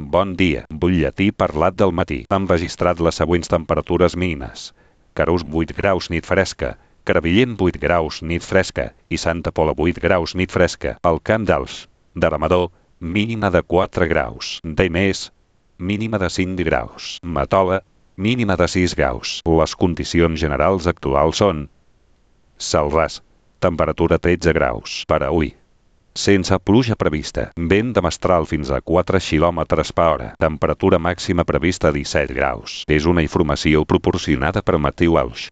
Bon dia. Butlletí parlat del matí. Han registrat les següents temperatures mínimes. Carús 8 graus nit fresca. Crevillent 8 graus nit fresca. I Santa Pola 8 graus nit fresca. El Camp d'Alts, d'Aramador, mínima de 4 graus. Daimés, mínima de 5 graus. Matola, mínima de 6 graus. Les condicions generals actuals són: Celràs, temperatura 13 graus. Per a avui, sense pluja prevista. Vent de mestral fins a 4 km/h. Temperatura màxima prevista 17 graus. És una informació proporcionada per Mateu Alx.